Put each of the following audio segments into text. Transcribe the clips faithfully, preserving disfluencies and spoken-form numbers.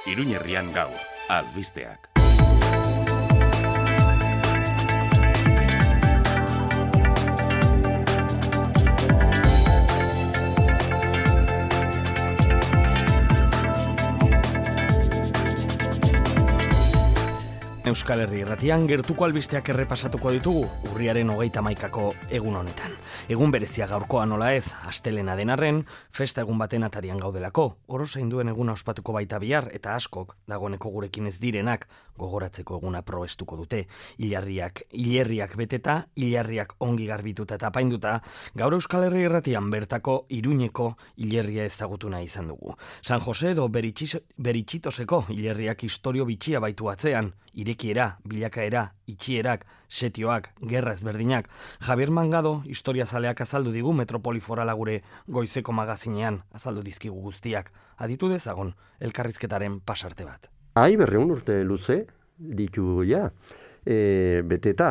Iruñerrian gaur, albisteak. Euskal Herri Irratian gertuko albisteak errepasatuko ditugu urriaren hogeita hamaikako egun honetan. Egun berezia gaurkoa nola ez, astelena den arren, festa egun baten atarian gaudelako. Oro zainduen eguna ospatuko baita bihar eta askok, dagoeneko gurekin ez direnak, gogoratzeko eguna probestuko dute. Hilarriak, hilerriak beteta, hilarriak ongi garbituta eta apainduta, gaur Euskal Herri Irratian bertako Iruñeko hilerria ezagutu nahi izan dugu. San Jose edo Beritxitoseko hilerriak historio bitxia baitu atzean, irekiera, bilakaera, itxierak, setioak, gerra ezberdinak. Javier Mangado, historiazaleak azaldu digu Metropoli Forala gure goizeko magazinean, azaldu dizkigu guztiak. Aditu dezagon, elkarrizketaren pasarte bat. Ai, berreun urte luze, ditu ja, e, beteta.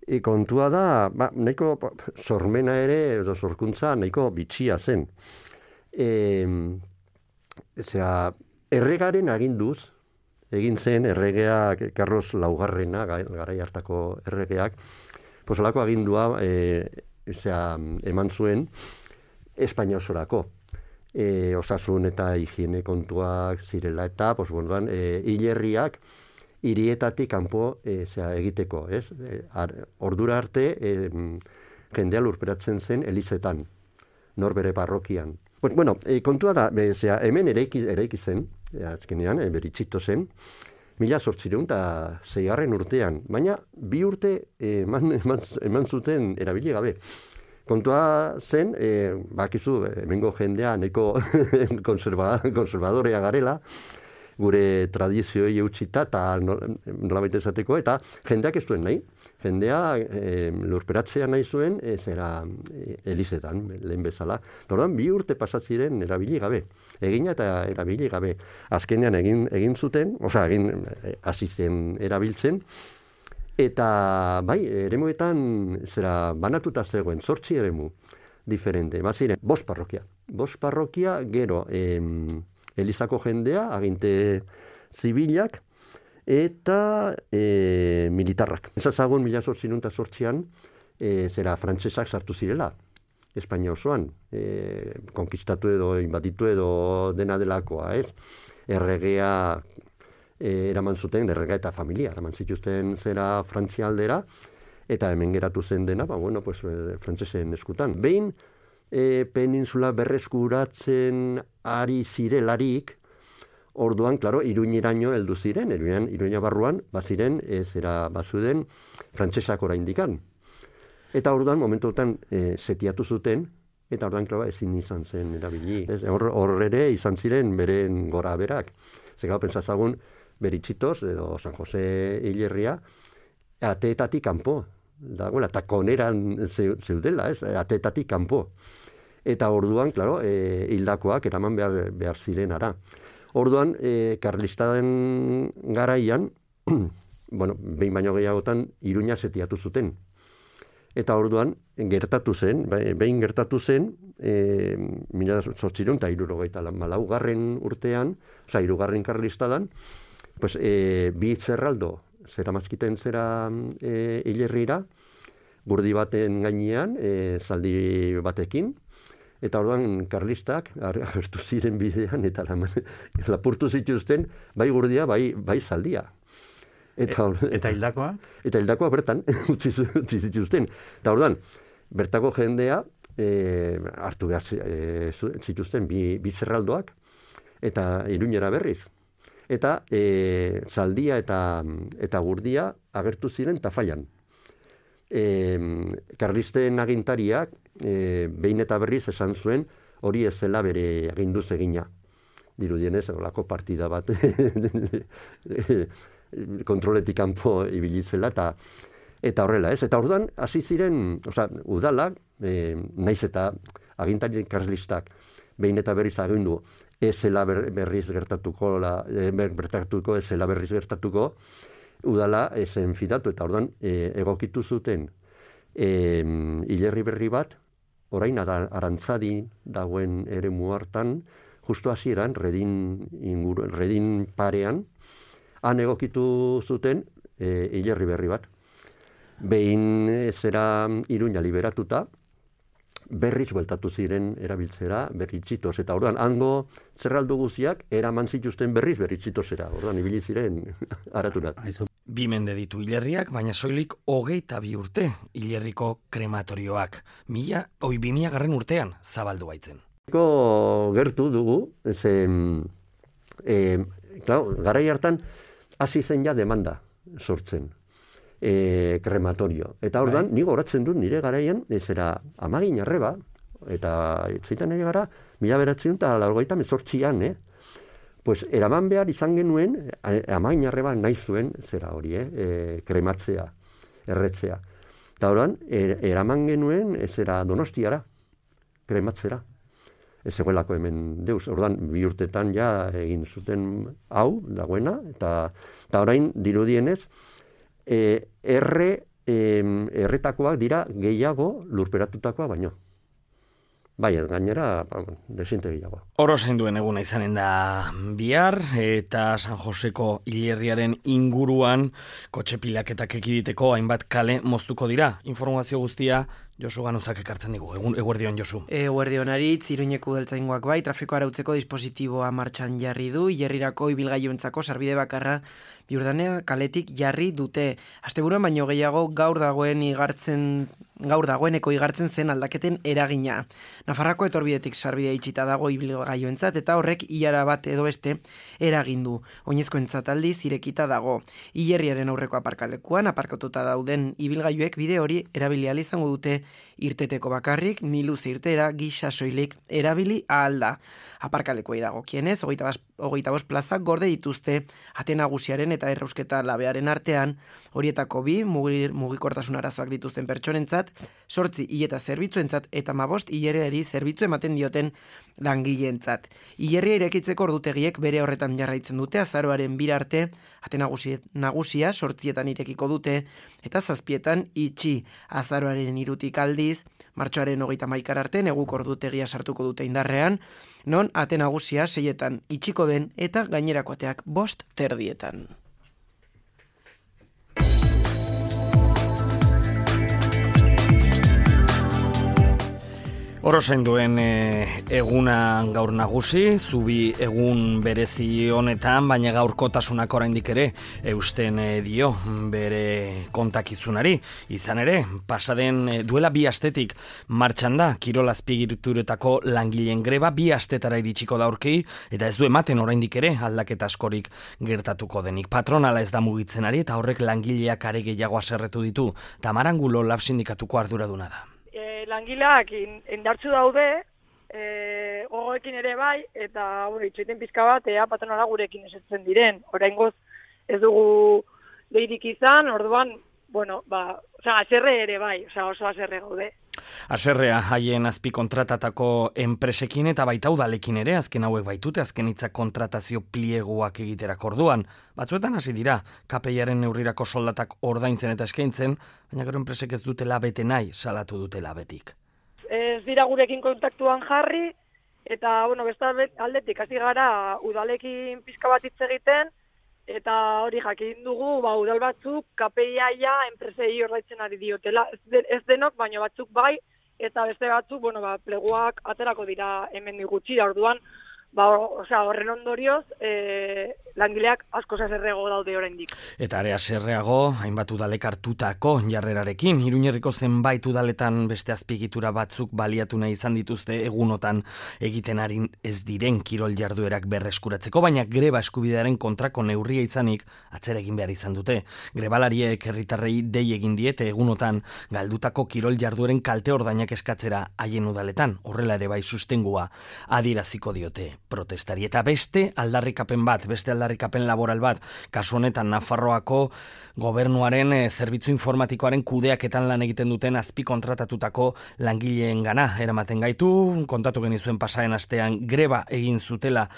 E, kontua da, ba, nahiko sormena ere, edo sorkuntza, nahiko bitxia zen. E, zera, erregaren aginduz, egin zen erregeak, Karlos Laugarrena, garai hartako erregeak, posolako agindua e, zera, eman zuen Espainia osorako. E, osasun eta higiene kontuak zirela eta, pos, bueno, e, hilerriak hirietatik kanpo e, zera, egiteko, ez? E, ar, ordura arte e, jendea lurperatzen zen elizetan, norbere parrokian. Bueno, e, kontua da, be, zera, hemen eraiki, eraiki zen, e, azkenean, e, Beritxito zen, mila zortzireun eta zeigarren urtean, baina bi urte e, eman, eman, eman zuten erabili gabe. Kontua zen, e, bakizu, hemengo jendea nahiko konserva, konservadorea garela, gure tradizioi eutxita eta nolabait esateko, eta jendeak ez duen nahi. Jendea e, lurperatzea nahi zuen, e, zera e, elizetan, lehen bezala. Orduan, bi urte pasatziren erabili gabe. Egina eta erabili gabe. Azkenean egin, egin zuten, osea, egin hasi zen erabiltzen, eta bai, eremuetan zera banatuta zegoen, zortzi eremu diferente. Baziren, bost parrokia. Bost parrokia, gero, em, elizako jendea, aginte zibilak, eta e, militarrak. Ezazagun mila zortzireun eta zortzian, e, zera frantsesak sartu zirela, Espainia osoan, e, konkistatu edo, inbaditu edo dena delakoa, ez? Erregea e, eraman zuten, erregea eta familia, eraman zituzten zera Frantzia aldera, eta hemen geratu zen dena, ba, bueno, pues, frantsesen eskutan. Behin, e, peninsula berreskuratzen ari zirelarik, orduan, klaro, Iruñeraino heldu ziren, Iruñan, Iruña barruan, baziren, ez era bazuden, frantsesak oraindikan. Eta orduan, momentuetan, e, setiatu zuten, eta orduan, klaro, ezin izan zen erabili. Hor, hor ere izan ziren beren gora berak. Zegau, pentsazagun, Beritxitos, edo San Jose hilerria, ateetatik kanpo, dagoela, eta koneran zeudela, ez, ateetatik kanpo. Eta orduan, klaro, e, hildakoak eraman behar, behar ziren ara. Orduan, e, karlistaren garaian, bueno, behin baino gehiagotan, Iruña setiatu zuten. Eta orduan, gertatu zen, behin gertatu zen, e, mila zortzireun eta hirurogeita malaugarren urtean, oza, hirugarren karlistadan, pues, e, bi zerraldo, zera mazkiten zera e, hilerrira, gurdi baten gainean, e, zaldi batekin, eta orduan karlistak agertu ziren bidean eta lapurtu zituzten bai gurdia, bai, bai zaldia. Eta, e, eta hildakoa? Eta hildakoa bertan utzi, utzi zituzten. Eta orduan, bertako jendea e, hartu behar e, zituzten bi, bi zerraldoak eta Iruñera berriz. Eta e, zaldia eta, eta gurdia agertu ziren tafailan. E, karlisten agintariak e, behin eta berriz esan zuen hori ez zela bere aginduz egina. Dirudienez, olako partida bat kontroletik kanpo ibilitzela eta eta horrela, ez? Eta orduan hasi ziren, osea, udalak, e, naiz eta agintari karlistak behin eta berriz agindu ez zela berriz gertatuko, la, e, bertatuko ez zela berriz gertatuko, udala zen fidatu, eta orduan e, egokitu zuten e, hilerri berri bat, orain arantzadi dagoen eremu hartan, justu hasieran, redin, inguru, redin parean, han egokitu zuten e, hilerri berri bat. Behin zera Iruña liberatuta, berriz bueltatu ziren erabiltzera berritzitoz. Eta orduan, hango zerraldu guziak eraman zituzten berriz berritzitozera. Orduan, ibili ziren araturat. Bi mende ditu hilerriak, baina soilik hogeita bi urte hilerriko krematorioak. Mila, oi bi mila garren urtean zabaldu baitzen. Gertu dugu, ze, e, klar, garai hartan hasi zen ja demanda sortzen. E, krematorio. Eta orduan, bai. Nigo horatzen dut nire garaian, zera amagin arreba, eta zeitan nire gara, mila beratzen eta largoita mezortzian, eh? Pues eraman behar izan genuen, amagin arreba nahi zuen, zera hori, eh? E, krematzea, erretzea. Eta orduan, er, eraman genuen, zera Donostiara, krematzera. Ez egoelako hemen deus. Orduan, bi urtetan ja egin zuten hau, dagoena, eta, eta orain dirudienez, E, erre, e, erretakoak dira gehiago lurperatutakoa baino. Bai, gainera, desinte gehiago. Oro zainduen eguna izanen da bihar, eta San Joseko hilerriaren inguruan kotxe pilaketak ekiditeko hainbat kale moztuko dira. Informazio guztia Josu Ganuzak ekartzen digu. Egun, eguerdion, Josu. Eguerdion aritz, Iruñeko udaltzaingoak bai, trafiko arautzeko dispositiboa martxan jarri du, hilerrirako ibilgailuentzako sarbide bakarra Biurdanea kaletik jarri dute. Asteburuan baino gehiago gaur dagoen igartzen gaur dagoeneko igartzen zen aldaketen eragina. Nafarrako etorbidetik sarbidea itxita dago ibilgailuentzat eta horrek ilara bat edo beste eragindu. Oinezkoentzat aldiz irekita dago. Hilerriaren aurreko aparkalekuan aparkatuta dauden ibilgailuek bide hori erabili ahal izango dute irteteko bakarrik, miluze irtera gisa soilik erabili ahal da. Aparkalekuei dagokienez, hogeita bost plaza gorde dituzte ate nagusiaren eta errausketa labearen artean, horietako bi mugir, mugikortasun arazoak dituzten pertsonentzat, sortzi hileta zerbitzuentzat eta hamabost hilerriari zerbitzu ematen dioten langileentzat. Hilerria irekitzeko ordutegiek bere horretan jarraitzen dute azaroaren bira arte, ate nagusia, nagusia sortzietan irekiko dute eta zazpietan itxi. Azaroaren hirutik aldiz, martxoaren hogeita hamaikara arte neguko ordutegia sartuko dute indarrean, non ate nagusia seietan itxiko den eta gainerako ateak bost terdietan. Oro zainduen e, eguna gaur nagusi, zubi egun berezi honetan, baina gaurkotasunak oraindik ere eusten e, dio bere kontakizunari. Izan ere, pasaden e, duela bi astetik martxan da, Kirol azpiegituretako langileen greba bi astetara iritsiko da aurki, eta ez du ematen oraindik ere aldaketa askorik gertatuko denik. Patronala ez da mugitzen ari eta horrek langileak are gehiago haserretu ditu. Tamar Angulo Lab sindikatuko arduraduna da. Langileak indartzu daude, e, gogoekin ere bai, eta bueno, itxoiten pizka bat, ea patronala gurekin esetzen diren. Oraingoz ez dugu deirik izan, orduan, bueno, ba, osea, haserre ere bai, osea, oso haserre gaude. Haserrea haien azpi kontratatako enpresekin eta baita udalekin ere, azken hauek baitute, azken hitza kontratazio plieguak egiterak orduan. Batzuetan hasi dira, K P I-aren neurrirako soldatak ordaintzen eta eskaintzen, baina gero enpresek ez dutela bete nahi, salatu dutela betik. Ez dira gurekin kontaktuan jarri, eta, bueno, beste aldetik hasi gara udalekin pizka bat hitz egiten, eta hori jakin dugu, ba, udal batzuk K P I-a enpresei ordaintzen ari diotela. Ez, de, ez denok, baina batzuk bai, eta beste batzuk, bueno, ba, pleguak aterako dira hemen gutxi, orduan, ba, osea, horren ondorioz, e, langileak asko haserreago daude oraindik. Eta are haserreago, hainbat udalek hartutako jarrerarekin, Iruñerriko zenbait udaletan beste azpiegitura batzuk baliatu nahi izan dituzte egunotan egiten ari ez diren kirol jarduerak berreskuratzeko, baina greba eskubidearen kontrako neurria izanik atzera egin behar izan dute. Grebalariek herritarrei dei egin diete egunotan galdutako kirol jardueren kalte ordainak eskatzera haien udaletan, horrela ere bai sustengua adieraziko diote protestari. Eta beste aldarrikapen bat, beste aldarrikapen laboral bat, kasu honetan Nafarroako gobernuaren e, zerbitzu informatikoaren kudeaketan lan egiten duten azpi kontratatutako langileen gana eramaten gaitu, kontatu genizuen pasaren astean greba egin zutela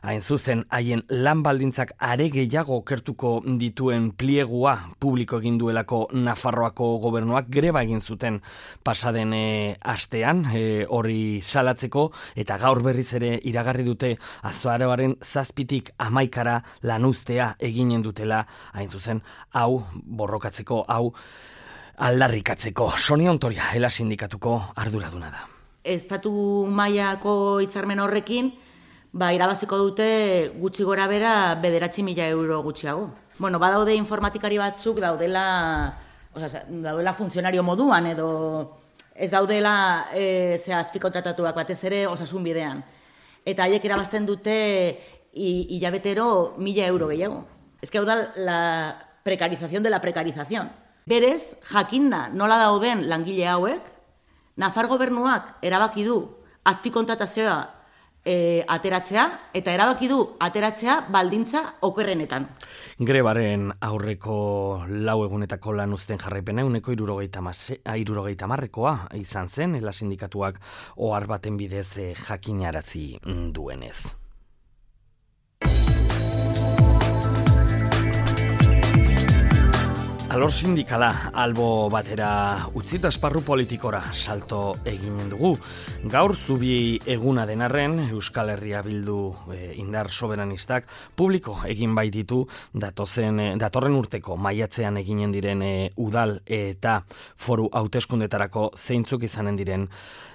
hain zuzen haien lan baldintzak are gehiago okertuko dituen pliegua publiko egin duelako Nafarroako gobernuak greba egin zuten pasaden e, astean e, hori salatzeko eta gaur berriz ere iragarri dute diote azaroaren zazpitik hamaikara lanuztea eginen dutela, hain zuzen, hau borrokatzeko, hau aldarrikatzeko. Sonia Ontoria, Ela sindikatuko arduraduna da. Estatu mailako hitzarmen horrekin, ba, irabaziko dute gutxi gora bera bederatzi mila euro gutxiago. Bueno, badaude informatikari batzuk daudela, osea, daudela funtzionario moduan edo ez daudela e, ze azpikontratatuak batez ere osasun bidean. Eta haiek irabazten dute hilabetero mila euro gehiago. Ez que hau da la precarización de la precarización. Berez, jakinda nola dauden langile hauek, Nafar gobernuak erabaki du azpikontratazioa E, ateratzea, eta erabaki du ateratzea baldintza okerrenetan. Grebaren aurreko lau egunetako lan uzten jarraipena uneko hirurogeita hamarrekoa izan zen, Ela sindikatuak ohar baten bidez eh, jakinarazi duenez. Alor sindikala albo batera utzita esparru politikora salto eginen dugu. Gaur zubi eguna denarren Euskal Herria Bildu e, indar soberanistak publiko egin baititu datozen, e, datorren urteko maiatzean eginen diren e, udal eta foru hauteskundetarako zeintzuk izanen diren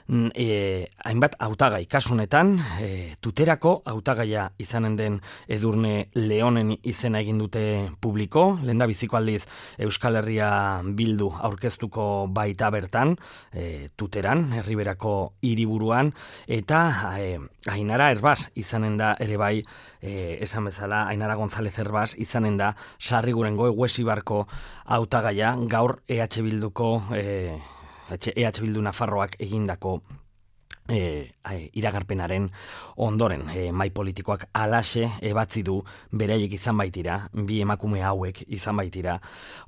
E, hainbat hautagai kasunetan, e, tuterako hautagaia izanen den Edurne Leonen izena egin dute publiko, lehendabiziko aldiz Euskal Herria Bildu aurkeztuko baita bertan, e, tuteran, Erriberako hiriburuan, eta e, Ainara Herbaz izanen da ere bai, e, esan bezala, Ainara González Herbaz izanen da Sarrigurengo Eguesibarko hautagaia, gaur E H Bilduko e, E H Bildu Nafarroak egindako E, iragarpenaren ondoren e, mai politikoak alaxe ebatzi du beraiek izan baitira, bi emakume hauek izan baitira.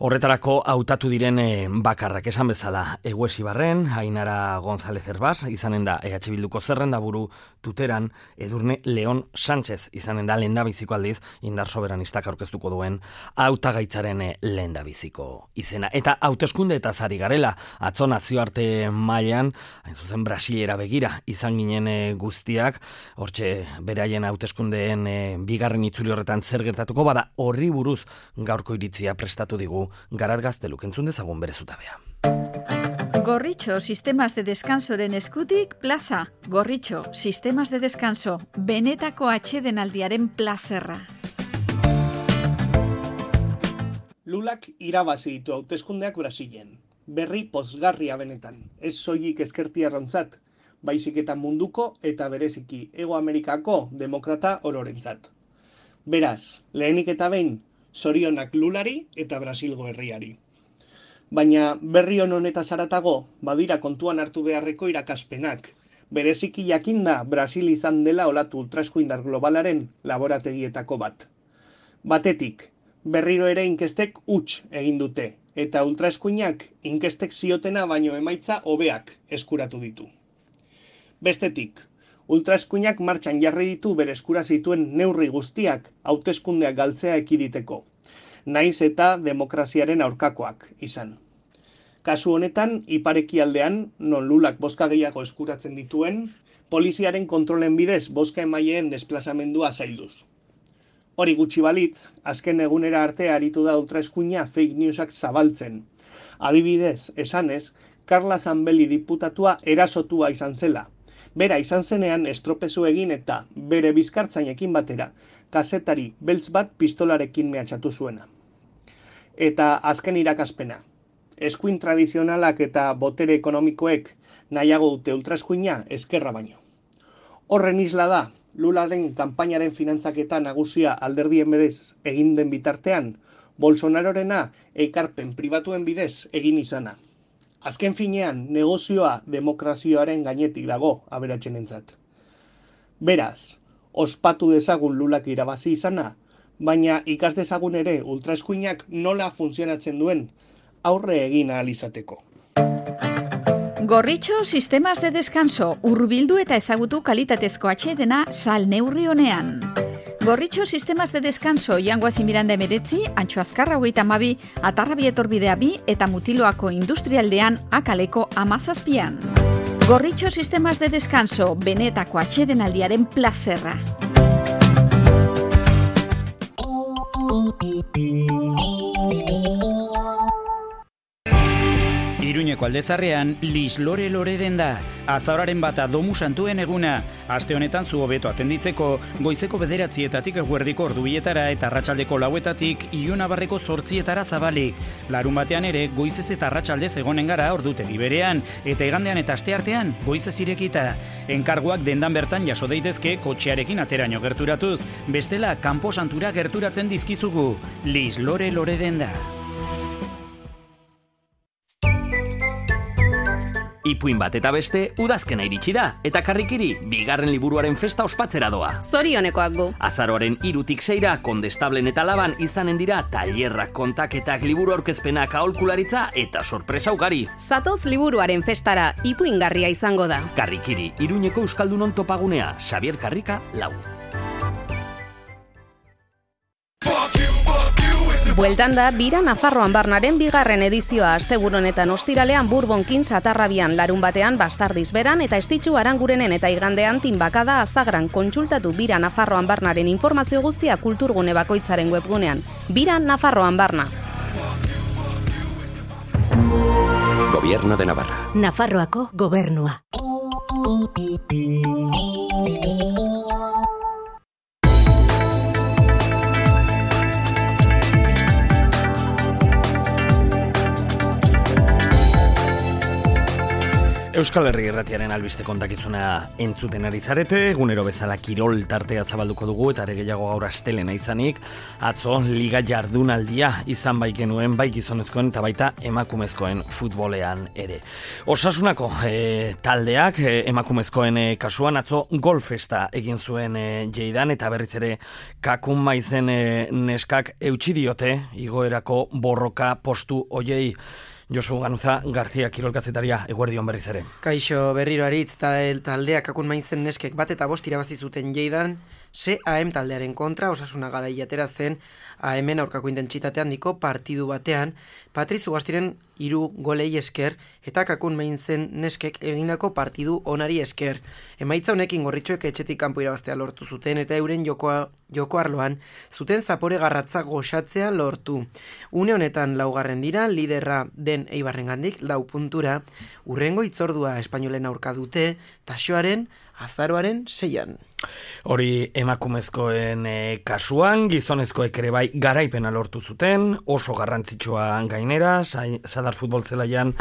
Horretarako hautatu diren e, bakarrak esan bezala Eguesibarren, Ainara González Herbaz izanen da E H Bilduko zerrendaburu, tuteran Edurne Leon Sánchez izanen da lehendabiziko aldiz indar soberanistak aurkeztuko duen hautagaitzaren e, lehendabiziko izena. Eta hauteskunde eta zari garela, atzo nazioarte mailan, hain zuzen Brasilera begira izan ginen e, guztiak, hortxe beraien hauteskundeen e, bigarren itzuli horretan zer gertatuko, bada horri buruz gaurko iritzia prestatu digu Garat Gazteluk, entzun dezagun bere zutabea. Gorritxo Sistemas de Descansoren eskutik plaza. Gorritxo Sistemas de Descanso, benetako atsedenaldiaren plazerra. Lulak irabazi ditu hauteskundeak Brasilen. Berri pozgarria benetan, ez soilik ezkertiarrontzat, baizik eta munduko eta bereziki Hego Amerikako demokrata ororentzat. Beraz, lehenik eta behin, zorionak Lulari eta Brasilgo herriari. Baina berri on honetaz haratago, badira kontuan hartu beharreko irakaspenak. Bereziki jakinda Brasil izan dela olatu ultraeskuindar globalaren laborategietako bat. Batetik, berriro ere inkestek huts egin dute, eta ultraeskuinak inkestek ziotena baino emaitza hobeak eskuratu ditu. Bestetik, ultraeskuinak martxan jarri ditu bere eskura zituen neurri guztiak hauteskundeak galtzea ekiditeko, naiz eta demokraziaren aurkakoak izan. Kasu honetan, iparekialdean, non Lulak bozka gehiago eskuratzen dituen, poliziaren kontrolen bidez bozka emaileen desplazamendua zailduz. Hori gutxi balitz, azken egunera arte aritu da ultraeskuina fake newsak zabaltzen. Adibidez, esanez, Carla Zambelli diputatua erasotua izan zela. Bera izan zenean estropezu egin eta bere bizkartzainekin batera, kazetari beltz bat pistolarekin mehatxatu zuena. Eta azken irakaspena. Eskuin tradizionalak eta botere ekonomikoek nahiago dute ultraeskuina ezkerra baino. Horren isla da, Lularen kanpainaren finantzaketa nagusia alderdien bidez egin den bitartean, Bolsonarorena ekarpen pribatuen bidez egin izana. Azken finean, negozioa demokrazioaren gainetik dago aberatsenentzat. Beraz, ospatu dezagun Lulak irabazi izana, baina ikas dezagun ere ultraeskuinak nola funtzionatzen duen aurre egin ahal izateko. Gorritxo Sistemas de Descanso, hurbildu eta ezagutu kalitatezko atsedena sal neurri honean. Gorritxo Sistemas de Descanso, Jangoazi Miranda emeretzi, Antxo Azkarra hogeita hamabi, Atarrabi etorbidea bi eta Mutiloako industrialdean akaleko amazazpian. Gorritxo Sistemas de Descanso, benetako atsedenaldiaren plazerra. Iruñeko aldezarrean, Lislore lore den da. Azaoraren bata domu santuen eguna. Aste honetan zu hobeto atenditzeko, goizeko bederatzietatik eguerdiko ordubietara eta arratsaldeko lauetatik Ionabarreko zortzietara zabalik. Larun batean ere, goizez eta arratsaldez egonen gara ordutegi berean, eta igandean eta asteartean, goizez irekita. Enkarguak dendan bertan jaso daitezke kotxearekin ateraino gerturatuz, bestela kanpo santura gerturatzen dizkizugu. Lislore lore den da. Ipuin bat eta beste, udazkena iritsi da, eta Karrikiri, bigarren liburuaren festa ospatzera doa. Zorionekoak gu. Azaroaren hirutik seira, Kondestablen eta Laban izanen dira tailerrak, kontaketak, liburu aurkezpenak, aholkularitza eta sorpresa ugari. Zatoz liburuaren festara, ipuingarria izango da. Karrikiri, Iruñeko Euskaldunon topagunea, Xabier Karrika, lau. Bueltan da, Bira Nafarroan Barnaren bigarren edizioa asteburu honetan ostiralean Bourbonkin Satarrabian, larun batean Bastardiz beran eta Estitxu Arangurenen eta igandean Tinbakada Azagran. Kontsultatu Bira Nafarroan Barnaren informazio guztia kulturgune bakoitzaren webgunean. Bira Nafarroan Barna. Gobierno de Navarra. Nafarroako gobernua. Euskal Herri Irratiaren albiste kontakizuna entzuten ari zarete, egunero bezala kirol tartea zabalduko dugu eta ere gehiago gaur astelena izanik, atzo liga jardunaldia izan bai genuen, bai gizonezkoen eta baita emakumezkoen futbolean ere. Osasunako e, taldeak e, emakumezkoen e, kasuan atzo golfesta egin zuen e, Jeidan eta berriz ere Kakun Maizen e, neskak eutsi diote igoerako borroka postu hoiei. Josu Ganuza, Garzia kirolkazetaria, eguerdion berriz ere. Kaixo berriro aritz taldeak Kakun Maizen neskek bat eta bost irabazi zuten Jeidan, C A M taldearen kontra, Osasuna Garai atera zen A M-en aurkako intentsitate handiko partidu batean, Patriz Ugastiren hiru golei esker eta Kakun Maizen neskek egindako partidu onari esker. Emaitza honekin Gorritxoek etxetik kanpo irabaztea lortu zuten eta euren jokoa, joko arloan zuten zapore garratza goxatzea lortu. Une honetan laugarren dira, liderra den Eibarrengandik lau puntura, urrengo itzordua espainolen aurka dute, Taxoaren azaroaren seian. Hori emakumezkoen e, kasuan, gizonezkoek ere bai garaipena lortu zuten, oso garrantzitsua gainera, Zadar futbol zelaian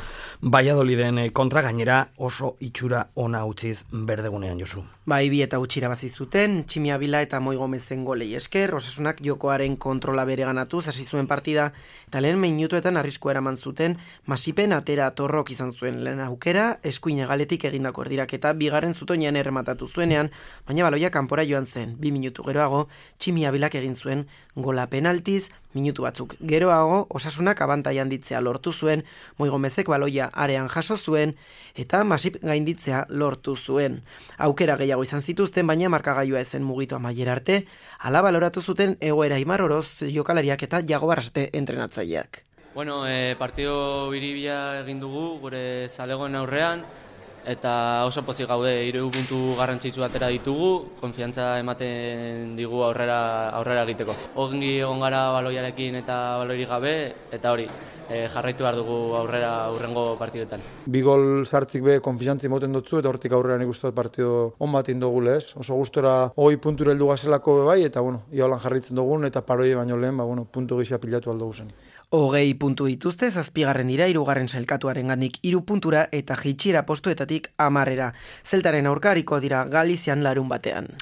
Valladoliden kontra gainera oso itxura ona utziz berdegunean, Josu. Bai, bi eta utxira bazi zuten, Tximia Bila eta Moi Gomezen golei esker, Osasunak jokoaren kontrola bere ganatuz, hasi zuen partida, eta lehen minutuetan arriskua eraman zuten, Masipen atera Torrok izan zuen lehen aukera, eskuin galetik egindako erdiraketa, bigarren zutoinean errematatu zuenean, baina baloia kanpora joan zen, bi minutu geroago, Tximia Bilak egin zuen gola penaltiz, minutu batzuk geroago, Osasunak abantaia handitzea lortu zuen, Moi Gomezek baloia arean jaso zuen, eta Masip gainditzea lortu zuen. Aukera gehiago izan zituzten, baina markagailua ezen mugitu amaiera arte, hala baloratu zuten egoera Imar Oroz jokalariak eta Jago Barraste entrenatzaileak. Bueno, eh, partido biribia egin dugu, gure zalegoen aurrean, eta oso pozik gaude, hiru puntu garrantzitsu atera ditugu, konfiantza ematen digu aurrera aurrera egiteko. Ongi egon gara baloiarekin eta baloirik gabe, eta hori, e, jarraitu behar dugu aurrera aurrengo partidetan. Bi gol sartzik be konfiantzi moten dutzu, eta hortik aurrean ikustu partido on bat indogule, ez? Oso gustora hogei puntura heldu gazelako be bai, eta bueno, iaholan jarraitzen dugun, eta paroi baino lehen, ba, bueno, puntu gisa pilatu aldugu zen. Hogei puntu dituzte, zazpigarren dira, hirugarren sailkatuaren gandik hiru puntura eta jeitsiera postuetatik hamarrera. Zeltaren aurkariko dira Galizian larun batean.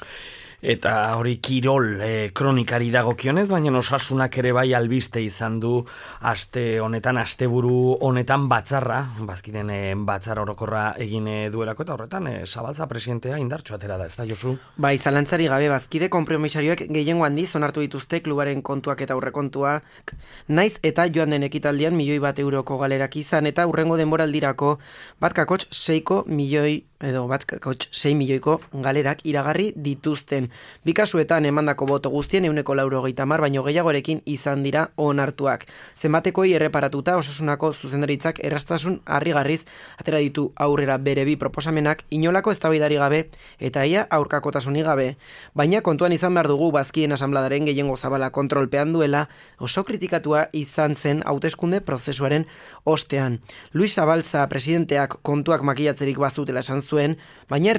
Eta hori kirol e, kronikari dagokionez, baina Osasunak ere bai albiste izan du aste honetan, asteburu honetan batzarra, bazkiden e, batzar orokorra egin duelako, eta horretan e, Zabalza presidentea indartxo atera da, ez da, Josu? Bai, zalantzari gabe bazkide konpromisarioek gehiengo handiz onartu dituzte klubaren kontuak eta aurrekontuak, naiz eta joan den ekitaldian milioi bat euroko galerak izan, eta hurrengo denboraldirako bat kakotx seiko milioi edo bat kakots sei milioiko galerak iragarri dituzten. Bi kasuetan emandako boto guztien ehuneko laurogeita hamar baino gehiagorekin izan dira onartuak. Zenbatekoi erreparatuta Osasunako zuzendaritzak erraztasun harrigarriz atera ditu aurrera bere bi proposamenak inolako eztabaidari gabe eta ia aurkakotasunik gabe. Baina kontuan izan behar dugu bazkien asanbladaren gehiengo zabala kontrolpean duela oso kritikatua izan zen hauteskunde prozesuaren ostean. Luis Zabalza presidenteak kontuak makilatzerik bazutela esan zuen, baina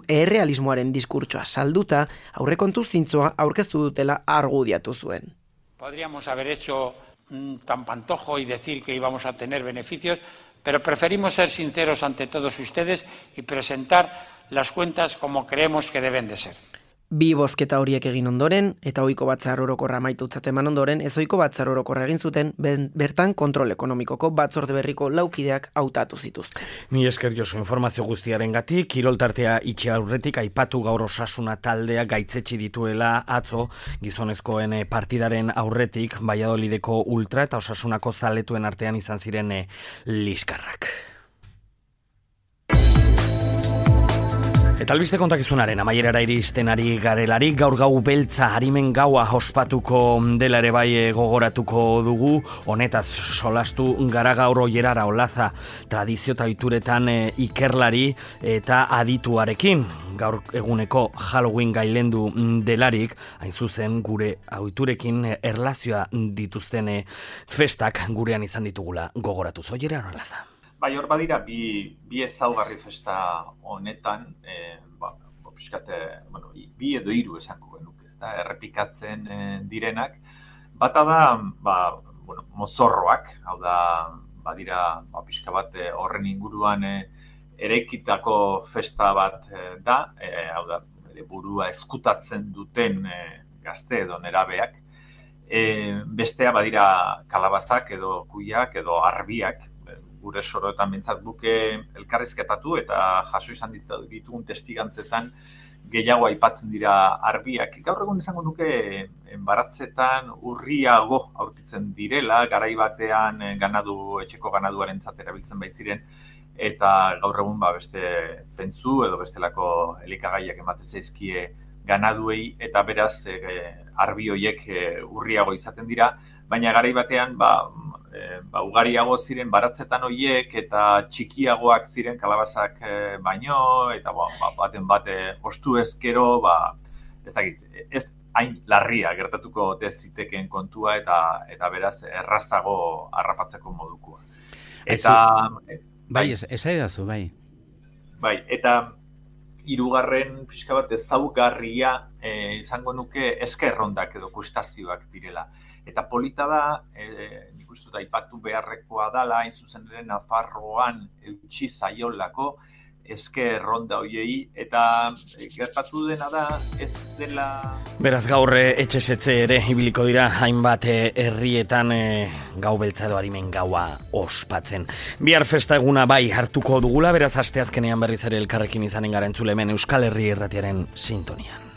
errealismoaren diskurtsoa salduta aurrekontu zintzoa aurkeztu dutela argudiatu zuen. Podríamos haber hecho tan pantojo y decir que íbamos a tener beneficios, pero preferimos ser sinceros ante todos ustedes y presentar las cuentas como creemos que deben de ser. Bi bozketa horiek egin ondoren, eta ohiko batzar orokorra amaitutzat eman ondoren, ez ohiko batzar orokorra egin zuten, bertan kontrol ekonomikoko batzorde berriko laukideak hautatu zituzten. Mi esker Josu informazio guztiaren gatik, kiroltartea itxe aurretik aipatu gaur Osasuna taldea gaitzetsi dituela atzo, gizonezkoen partidaren aurretik, Valladolideko ultra eta Osasunako zaletuen artean izan ziren liskarrak. Eta albiste kontakizunaren amaierara iristen ari garelarik, gaur gau beltza harimen gaua ospatuko dela ere bai gogoratuko dugu, honetaz solastu gara gaur Oierara Olaza tradizio eta oituretan ikerlari eta adituarekin. Gaur eguneko Halloween gailendu delarik, hain zuzen gure ohiturekin erlazioa dituzten festak gurean izan ditugula gogoratuz. Oierara Olaza. Bai, hor badira, bi, bi ezaugarri festa honetan, e, ba, piskate, bueno, bi edo hiru esango genuke, ez da, errepikatzen e, direnak. Bata da, ba, bueno, mozorroak, hau da, badira, ba, pixka bat horren inguruan e, eraikitako festa bat e, da, e, hau da, burua eskutatzen duten e, gazte edo nerabeak. E, bestea badira kalabazak edo kuiak edo arbiak, gure soroetan bintzat buke elkarrizketatu eta jaso izan ditugun testigantzetan gehiago aipatzen dira arbiak. Gaur egun izango nuke baratzetan urriago aurkitzen direla, garai batean ganadu, etxeko ganaduarentzat erabiltzen baitziren, eta gaur egun ba, beste pentzu edo bestelako elikagaiak ematen zaizkie ganaduei, eta beraz e, arbi horiek e, urriago izaten dira, baina garai batean ba, E, ba, ugariago ziren baratzetan horiek eta txikiagoak ziren kalabazak e, baino, eta ba, ba, baten bate ostu ezkero, ba, ez dakit, ez hain larria gertatuko ziteken kontua eta eta beraz errazago harrapatzeko modukoa. Eta e, bai, ez edazu, bai. Bai, eta hirugarren pixka bat ezaugarria e, izango nuke eskerrondak edo kustazioak direla. Eta polita da, e, nik uste dut aipatu beharrekoa dala, hain zuzen ere Nafarroan eutxi zaiolako eske ronda hoiei, eta e, gertatu dena da, ez dela... Beraz gaur etxesetze ere ibiliko dira hainbat herrietan e, gau beltza edo harimen gaua ospatzen. Bihar festa eguna bai hartuko dugula, beraz asteazkenean berriz ere elkarrekin izanen gara entzule hemen Euskal Herri Irratiaren sintonian.